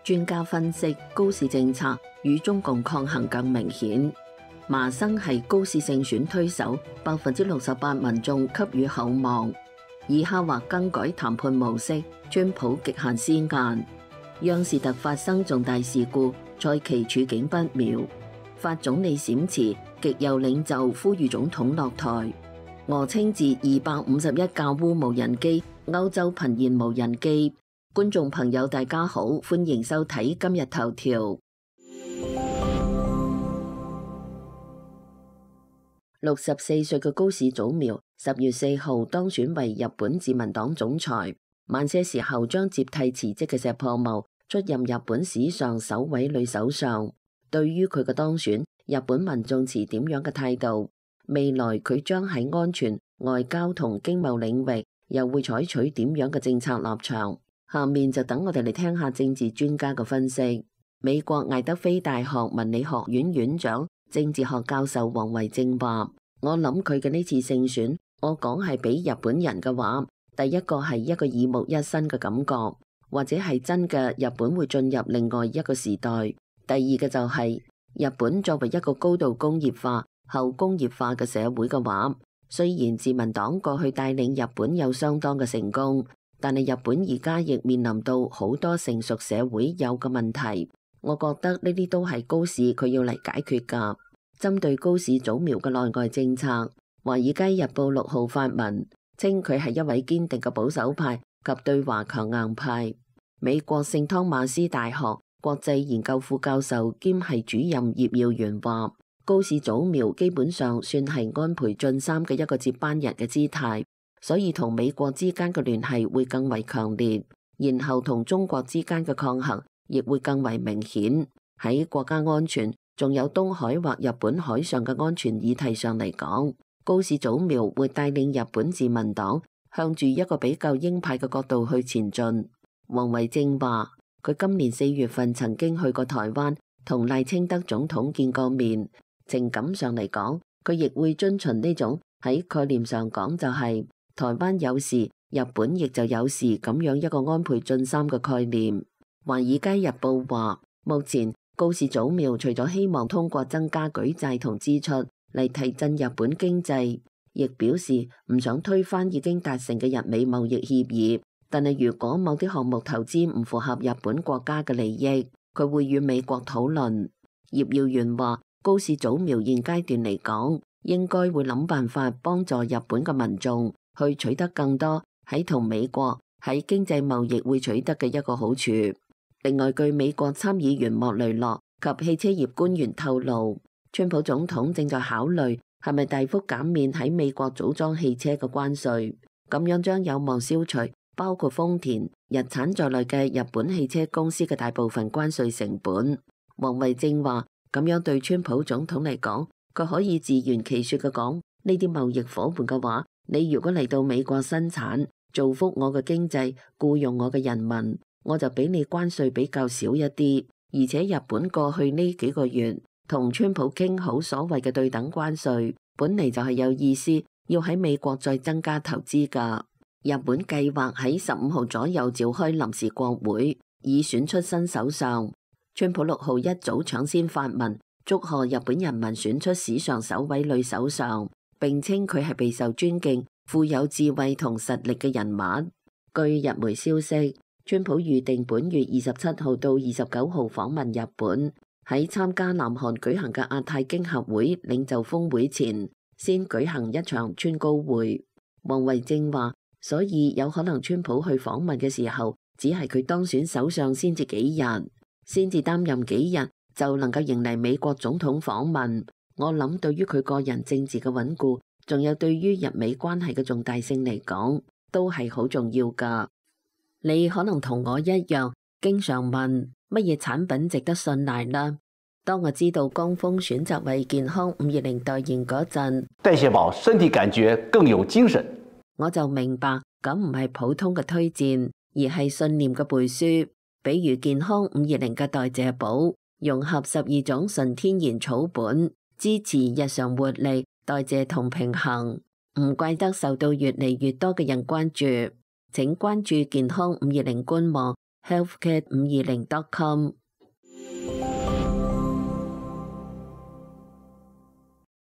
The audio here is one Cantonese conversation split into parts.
專家分析，高市政策與中共抗衡更明顯。麻生係高市勝選推手，68%民眾給予厚望。以下或更改談判模式，川普極限施壓。央視突發生重大事故，蔡奇處境不妙。法總理閃辭，極右領袖呼籲總統落台。俄稱自251架烏無人機，歐洲頻現無人機。觀眾朋友大家好，歡迎收睇今日頭條。64歲嘅高市早苗10月4號當選為日本自民黨總裁，晚些時候將接替辭職嘅石破茂出任日本史上首位女首相。對於佢嘅當選，日本民眾持點樣嘅態度？未來佢將喺安全、外交同經貿領域又會採取點樣嘅政策立場？下面就等我哋嚟聽下政治專家嘅分析。美國艾德菲大學文理學院院長、政治學教授王維正話：我諗佢嘅呢次勝選，我講係俾日本人嘅話，第一個係一個耳目一新嘅感覺，或者係真嘅日本會進入另外一個時代。第二個就係日本作為一個高度工業化、後工業化嘅社會嘅話，雖然自民黨過去帶領日本有相當嘅成功，但係日本而家亦面臨到好多成熟社會有嘅問題。我覺得呢啲都係高市佢要嚟解決㗎。針對高市早苗嘅內外政策，《華爾街日報》6號發文稱佢係一位堅定嘅保守派及對華強硬派。美國聖湯馬斯大學國際研究副教授兼係主任葉耀元話：高市早苗基本上算係安倍晉三嘅一個接班人嘅姿態，所以同美國之間嘅聯繫會更為強烈，然後同中國之間嘅抗衡亦會更為明顯。喺國家安全仲有東海或日本海上嘅安全議題上嚟講，高市早苗會帶領日本自民黨向住一個比較鷹派嘅角度去前進。王維正話：佢今年4月份曾經去過台灣，同賴清德總統見過面。情感上嚟講，佢亦會遵循呢種喺概念上講就係台灣有事，日本亦就有事咁樣一個安倍晉三嘅概念。華爾街日報話，目前高市早苗除咗希望通過增加舉債同支出嚟提振日本經濟，亦表示唔想推翻已經達成嘅日美貿易協議。但係如果某啲項目投資唔符合日本國家嘅利益，佢會與美國討論。葉耀元話：高市早苗現階段嚟講，應該會諗辦法幫助日本嘅民眾去取得更多喺同美國喺經濟貿易會取得嘅一個好處。另外，據美國參議員莫雷諾及汽車業官員透露，川普總統正在考慮係咪大幅減免喺美國組裝汽車嘅關稅，咁樣將有望消除包括豐田、日產在內嘅日本汽車公司嘅大部分關稅成本。王維正話：咁樣對川普總統嚟講，佢可以自圓其說嘅講，呢啲貿易夥伴嘅話，你如果嚟到美國生產，造福我嘅經濟，僱用我嘅人民，我就俾你關稅比較少一啲。而且日本過去呢幾個月同川普傾好所謂嘅對等關稅，本嚟就係有意思要喺美國再增加投資㗎。日本計劃喺15號左右召開臨時國會，以選出新首相。川普6號一早搶先發文祝賀日本人民選出史上首位女首相，並稱佢係備受尊敬、富有智慧同實力嘅人物。據日媒消息，川普預定本月27號到29號訪問日本，喺參加南韓舉行嘅亞太經合會領袖峰會前，先舉行一場川高會。王維正話：所以有可能川普去訪問嘅時候，只係佢當選首相先至幾日，先至擔任幾日就能夠迎嚟美國總統訪問。我諗對於佢個人政治嘅穩固，仲有對於日美關係嘅重大性嚟講，都係好重要㗎。你可能同我一樣，經常問乜嘢產品值得信賴啦。當我知道江峰選擇為健康520代言嗰陣，代謝寶身體感覺更有精神，我就明白咁唔係普通嘅推薦，而係信念嘅背書。比如健康520嘅代謝寶，融合12種純天然草本，支持日常活力、代謝同平衡，唔怪得受到越嚟越多嘅人關注。請關注健康520官網 healthcare520.com。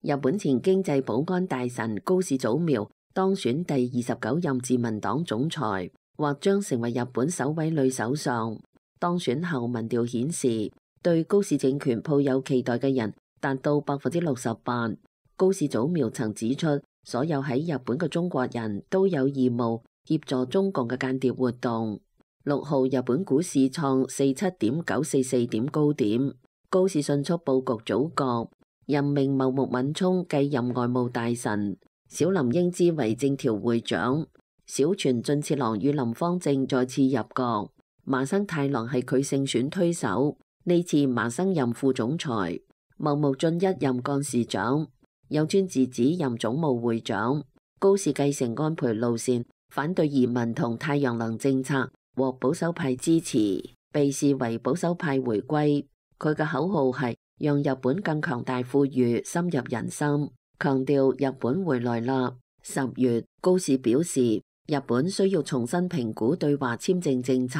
日本前經濟保安大臣高市早苗當選第29任自民黨總裁，或將成為日本首位女首相。當選後民調顯示，對高市政權抱有期待嘅人達到68%。高市早苗曾指出，所有喺日本嘅中國人都有義務協助中共嘅間諜活動。6號日本股市創47.944點高點，高市迅速佈局組閣，任命茂木敏充繼任外務大臣，小林英之為政調會長，小泉進次郎與林芳正再次入閣，麻生太郎係佢勝選推手，呢次麻生任副總裁，茂木俊一任幹事長，有川智子任總務會長。高市繼承安倍路線，反對移民同太陽能政策，獲保守派支持，被視為保守派回歸。佢嘅口號係讓日本更強大富裕，深入人心，強調日本回來啦。10月，高市表示日本需要重新評估對華簽證政策，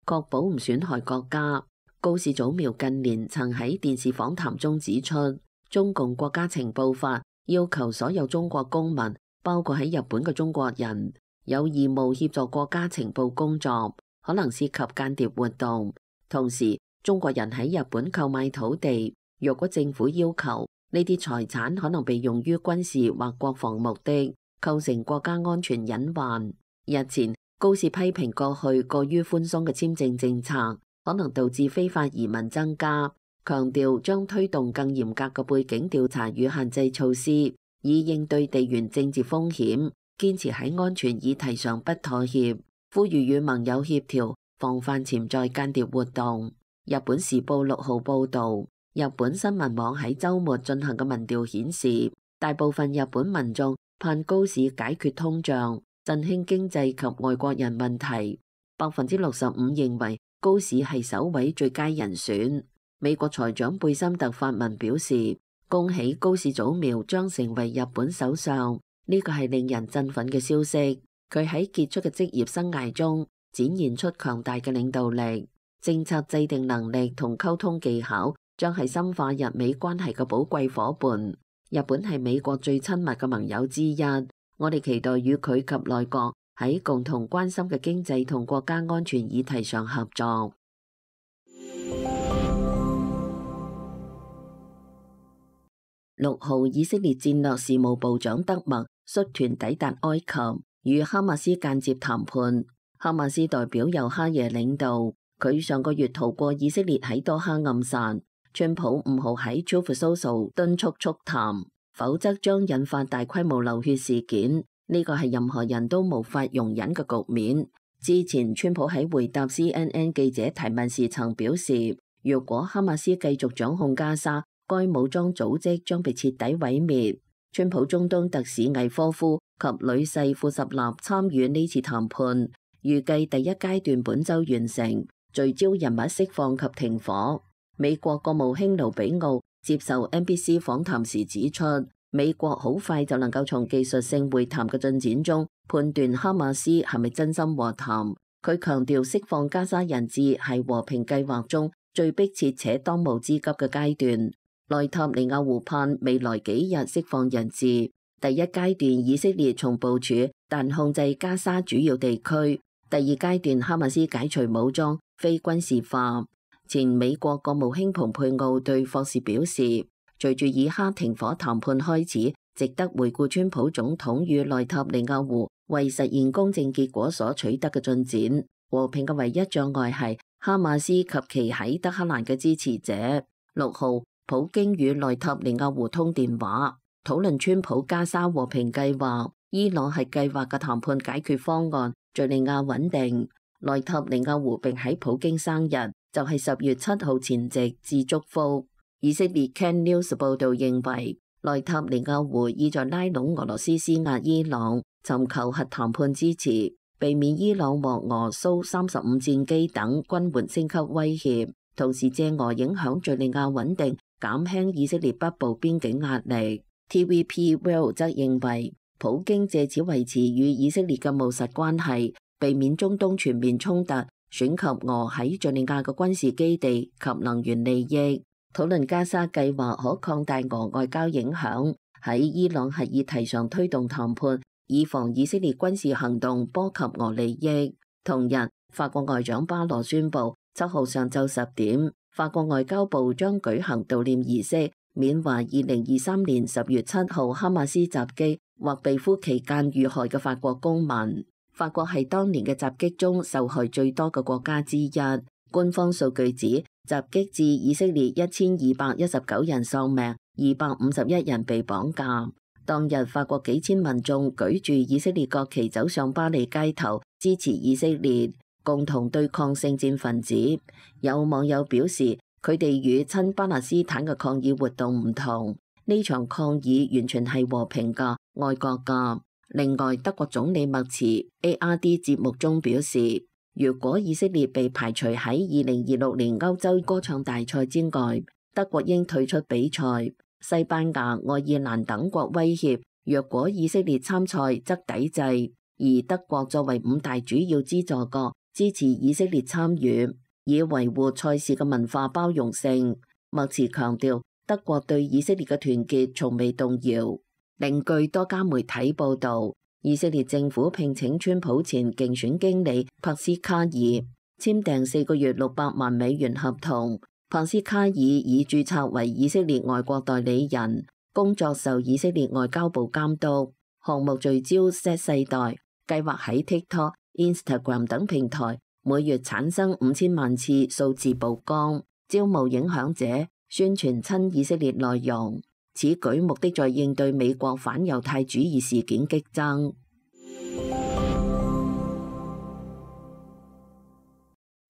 確保唔損害國家。高市早苗近年曾喺電視訪談中指出，中共國家情報法要求所有中國公民，包括喺日本嘅中國人，有義務協助國家情報工作，可能涉及間諜活動。同時，中國人喺日本購買土地，若果政府要求，呢啲財產可能被用於軍事或國防目的，構成國家安全隱患。日前，高市批評過去過於寬鬆嘅簽證政策，可能導致非法移民增加，強調將推動更嚴格嘅背景調查與限制措施，以應對地緣政治風險。堅持喺安全議題上不妥協，呼籲與盟友協調，防範潛在間諜活動。日本時報6號報導，日本新聞網喺週末進行嘅民調顯示，大部分日本民眾盼高市解決通脹、振興經濟及外國人問題。65%認為高市係首位最佳人選。美國財長貝森特發文表示，恭喜高市早苗將成為日本首相。呢個係令人振奮嘅消息。佢喺傑出嘅職業生涯中展現出強大嘅領導力、政策制定能力同溝通技巧，將係深化日美關係嘅寶貴夥伴。日本係美國最親密嘅盟友之一，我哋期待與佢及內閣喺共同關心嘅經濟同國家安全議題上合作。6號，以色列戰略事務部長德默率團抵達埃及，與哈馬斯間接談判。哈馬斯代表由哈耶領導，佢上個月逃過以色列喺多哈暗殺。川普5號喺 Truth Social 敦促促談，否則將引發大規模流血事件。呢個係任何人都無法容忍嘅局面。之前川普喺回答 CNN 記者提問時曾表示，如果哈馬斯繼續掌控加沙，該武裝組織將被徹底毀滅。川普中東特使魏科夫及女婿庫什納參與呢次談判，預計第一階段本週完成，聚焦人物釋放及停火。美國國務卿盧比奧接受 NBC 訪談時指出，美國好快就能夠從技術性會談嘅進展中判斷哈馬斯係咪真心和談。佢強調釋放加沙人質係和平計劃中最迫切且當務之急嘅階段。內塔尼亞胡盼未來幾日釋放人質。第一階段以色列從部署但控制加沙主要地區。第二階段哈馬斯解除武裝，非軍事化。前美國國務卿蓬佩奧對霍士表示，隨住以哈停火談判開始，值得回顧川普總統與內塔尼亞胡為實現公正結果所取得嘅進展。和平嘅唯一障礙係哈馬斯及其喺德黑蘭嘅支持者。6號，普京與內塔尼亞胡通電話，討論川普加沙和平計劃。伊朗係計劃嘅談判解決方案，敘利亞穩定。內塔尼亞胡並喺普京生日，就係10月7號前夕致祝福。以色列 Can News 報導認為，內塔尼亞胡意在拉攏俄羅斯施壓伊朗，尋求核談判支持，避免伊朗獲俄蘇35戰機等軍援升級威脅，同時借俄影響敘利亞穩定，減輕以色列北部邊境壓力。TVP World 則認為，普京借此維持與以色列嘅務實關係，避免中東全面衝突選及俄喺敘利亞嘅軍事基地及能源利益，討論加沙計劃可擴大俄外交影響，喺伊朗核議題上推動談判，以防以色列軍事行動波及俄利益。同日，法國外長巴羅宣布，7號上晝10點，法國外交部將舉行悼念儀式，緬懷2023年10月7號哈馬斯襲擊或被俘期間遇害嘅法國公民。法國係當年嘅襲擊中受害最多嘅國家之一。官方數據指，襲擊致以色列1219人喪命，251人被綁架。當日，法國幾千民眾舉住以色列國旗走上巴黎街頭，支持以色列，共同對抗聖戰分子。有網友表示，佢哋與親巴勒斯坦嘅抗議活動唔同，呢場抗議完全係和平㗎、愛國㗎。另外，德國總理默茨 ARD 節目中表示，如果以色列被排除喺2026年歐洲歌唱大賽之外，德國應退出比賽。西班牙、愛爾蘭等國威脅，若果以色列參賽則抵制。而德國作為5大主要資助國，支持以色列參與，以維護賽事嘅文化包容性。默茨強調，德國對以色列嘅團結從未動搖。另據多家媒體報導，以色列政府聘請川普前競選經理帕斯卡爾簽訂4個月600萬美元合同。帕斯卡爾已註冊為以色列外國代理人，工作受以色列外交部監督。項目聚焦 Z 世代，計劃喺 TikTok、Instagram 等平台每月產生5000萬次數字曝光，招募影響者，宣傳親以色列內容。此舉目的在應對美國反猶太主義事件激增。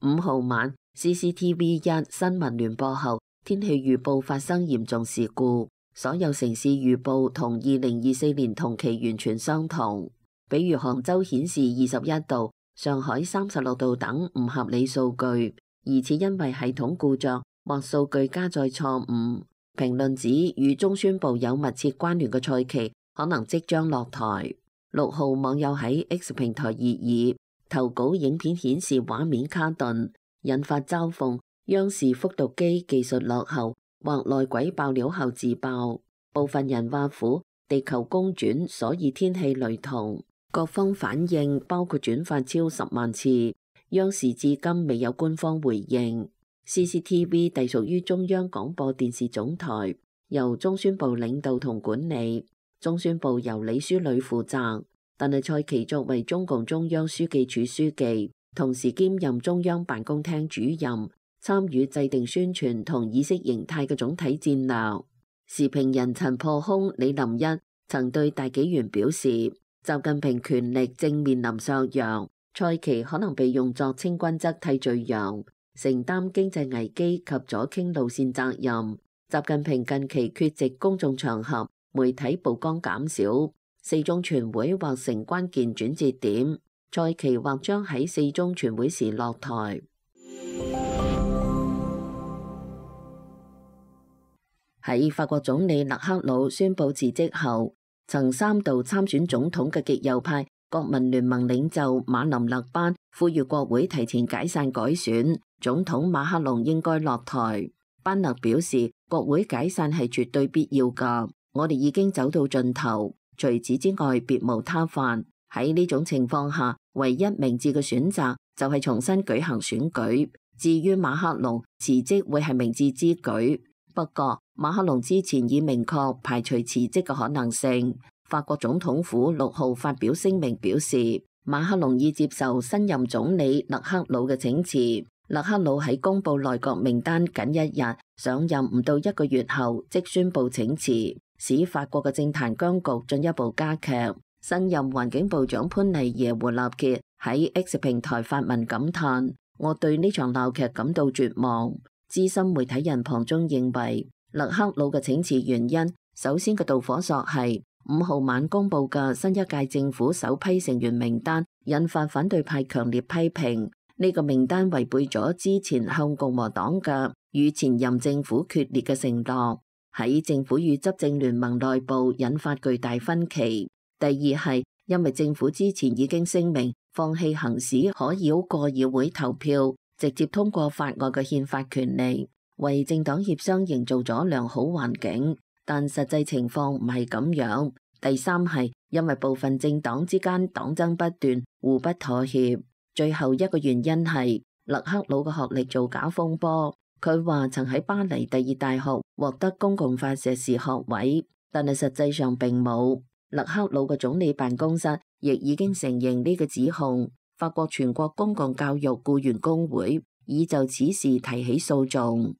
5號晚 CCTV 1新聞聯播後，天氣預報發生嚴重事故，所有城市預報同2024年同期完全相同。比如杭州顯示21度，上海36度等唔合理數據，疑似因為系統故障或數據加載錯誤。評論指與中宣部有密切關聯嘅賽期可能即將落台。6號網友喺 X 平台熱議，投稿影片顯示畫面卡頓，引發嘲諷。央視復讀機技術落後，或內鬼爆料後自爆。部分人挖苦地球公轉，所以天氣雷同。各方反應包括轉發超10萬次，央視至今未有官方回應。CCTV 隸屬於中央廣播電視總台，由中宣部領導同管理。中宣部由李書磊負責，但係蔡奇作為中共中央書記處書記，同時兼任中央辦公廳主任，參與制定宣傳同意識形態嘅總體戰略。時評人陳破空、李林一曾對大紀元表示，習近平權力正面臨削弱，蔡奇可能被用作清君側替罪羊，承擔經濟危機及左傾路線責任。習近平近期缺席公眾場合，媒體曝光減少，四中全會或成關鍵轉折點，蔡奇或將喺四中全會時落台。喺法國總理勒克魯宣布辭職後，曾3度參選總統嘅極右派國民聯盟領袖馬林勒班呼籲國會提前解散改選，總統馬克龍應該落台。班勒表示，國會解散係絕對必要㗎，我哋已經走到盡頭，除此之外別無他法。喺呢種情況下，唯一明智嘅選擇就係重新舉行選舉。至於馬克龍辭職會係明智之舉，不過馬克龍之前已明確排除辭職嘅可能性。法國總統府6號發表聲明表示，馬克龍已接受新任總理勒克魯嘅請辭。勒克魯喺公布內閣名單僅1日，上任唔到1個月後即宣布請辭，使法國嘅政壇僵局進一步加劇。新任環境部長潘尼耶胡納傑喺 X 平台發文感嘆，我對呢場鬧劇感到絕望。資深媒體人龐中認為，勒克魯嘅請辭原因，首先嘅導火索係5號晚公布嘅新一屆政府首批成員名單，引發反對派強烈批評。呢個名單違背咗之前向共和黨嘅與前任政府決裂嘅承諾，喺政府與執政聯盟內部引發巨大分歧。第二係因為政府之前已經聲明放棄行使可繞過議會投票，直接通過法案嘅憲法權利，為政黨協商營造咗良好環境。但實際情況唔係咁樣。第三係因為部分政黨之間黨爭不斷，互不妥協。最後一個原因係勒克魯嘅學歷造假風波。佢話曾喺巴黎第二大學獲得公共法碩士學位，但係實際上並冇。勒克魯嘅總理辦公室亦已經承認呢個指控。法國全國公共教育僱員工會已就此事提起訴訟。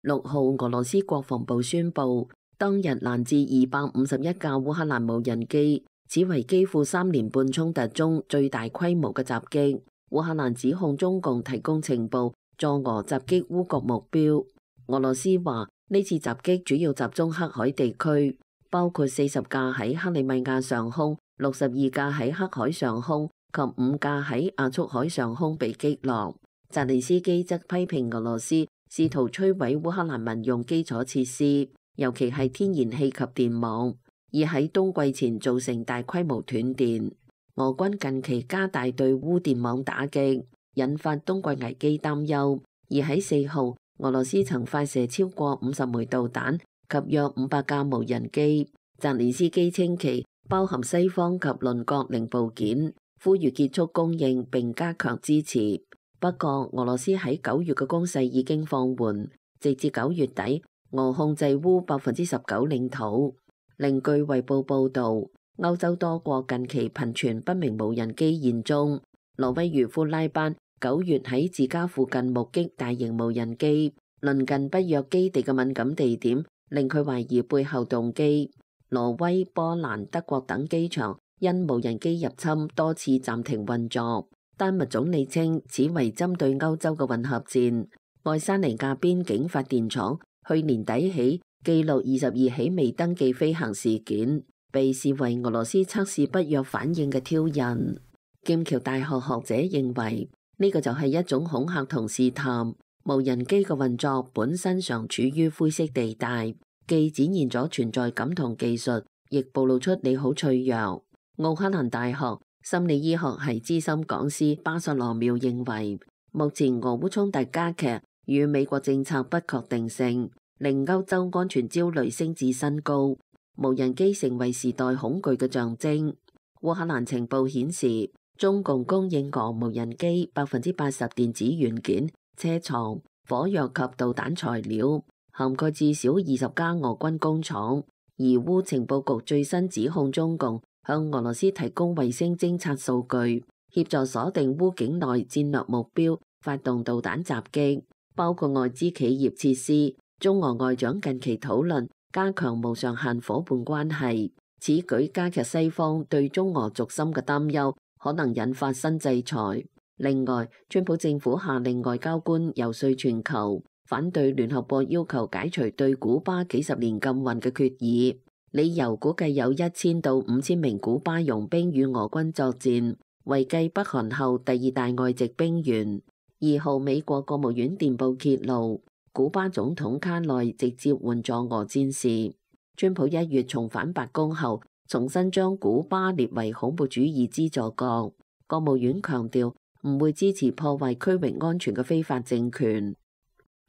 6號，俄羅斯國防部宣布，當日攔至251架烏克蘭無人機，此為基輔3年半衝突中最大規模嘅襲擊。烏克蘭指控中共提供情報，助俄襲擊烏國目標。俄羅斯話呢次襲擊主要集中黑海地區，包括40架喺克里米亞上空、62架喺黑海上空及5架喺亞速海上空被擊落。澤連斯基則批評俄羅斯試圖摧毀烏克蘭民用基礎設施，尤其係天然氣及電網，而喺冬季前造成大規模斷電。俄軍近期加大對烏電網打擊，引發冬季危機擔憂。而喺4號，俄羅斯曾發射超過50枚導彈及約500架無人機。澤連斯基稱其包含西方及鄰國零部件，呼籲結束供應並加強支持。不過，俄羅斯喺9月嘅攻勢已經放緩，直至9月底，俄控制烏19%領土。另據衛報報導，歐洲多國近期頻傳不明無人機現蹤。挪威漁夫拉班9月喺自家附近目擊大型無人機，鄰近北約基地嘅敏感地點令佢懷疑背後動機。挪威、波蘭、德國等機場因無人機入侵多次暫停運作。丹麥總理稱此為針對歐洲嘅混合戰。愛沙尼亞邊境發電廠去年底起記錄22起未登記飛行事件，被視為俄羅斯測試北約反應嘅挑釁。劍橋大學學者認為呢個就係一種恐嚇同試探。無人機嘅運作本身常處於灰色地帶，既展現咗存在感同技術，亦暴露出你好脆弱。奧克蘭大學心理醫學系資深講師巴塞羅繆認為，目前俄烏衝突加劇與美國政策不確定性，令歐洲安全焦慮升至新高。無人機成為時代恐懼嘅象徵。烏克蘭情報顯示，中共供應俄無人機80%電子元件、車床、火藥及導彈材料，涵蓋至少20家俄軍工廠。而烏情報局最新指控中共向俄羅斯提供衛星偵察數據，協助鎖定烏境內戰略目標，發動導彈襲擊，包括外資企業設施。中俄外長近期討論加強無上限夥伴關係，此舉加劇西方對中俄軸心嘅擔憂，可能引發新制裁。另外，川普政府下令外交官遊說全球，反對聯合國要求解除對古巴幾十年禁運嘅決議，理由估計有1000到5000名古巴傭兵與俄軍作戰，為繼北韓後第2大外籍兵員。2號，美國國務院電報揭露，古巴總統卡內直接援助俄戰事。川普1月重返白宮後，重新將古巴列為恐怖主義資助國。國務院強調唔會支持破壞區域安全嘅非法政權。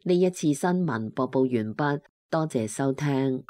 呢一次新聞播報完畢，多謝收聽。